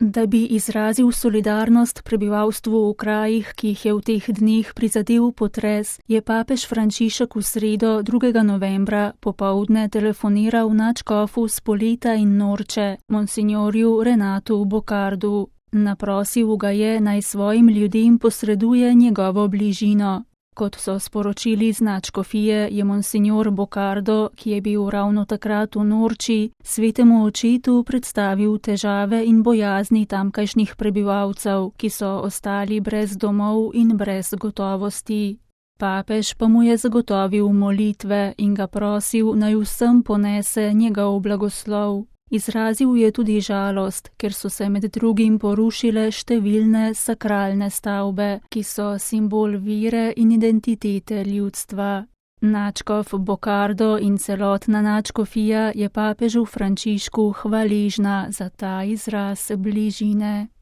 Da bi izrazil solidarnost prebivalstvu v krajih, ki jih je v teh dneh prizadel potres, je papež Frančišek v sredo 2. novembra popoldne telefoniral nadškofu Spoleta in Norče, monsignorju Renatu Bocardu. Naprosil ga je, naj svojim ljudem posreduje njegovo bližino. Kot so sporočili z nadškofije, je monsignor Bocardo, ki je bil ravno takrat v Norči, svetemu očetu predstavil težave in bojazni tamkajšnjih prebivalcev, ki so ostali brez domov in brez gotovosti. Papež pa mu je zagotovil molitve in ga prosil, naj vsem ponese njegov blagoslov. Izrazil je tudi žalost, ker so se med drugim porušile številne sakralne stavbe, ki so simbol vere in identitete ljudstva. Nadškof Bocardo in celotna nadškofija je papežu Frančišku hvaležna za ta izraz bližine.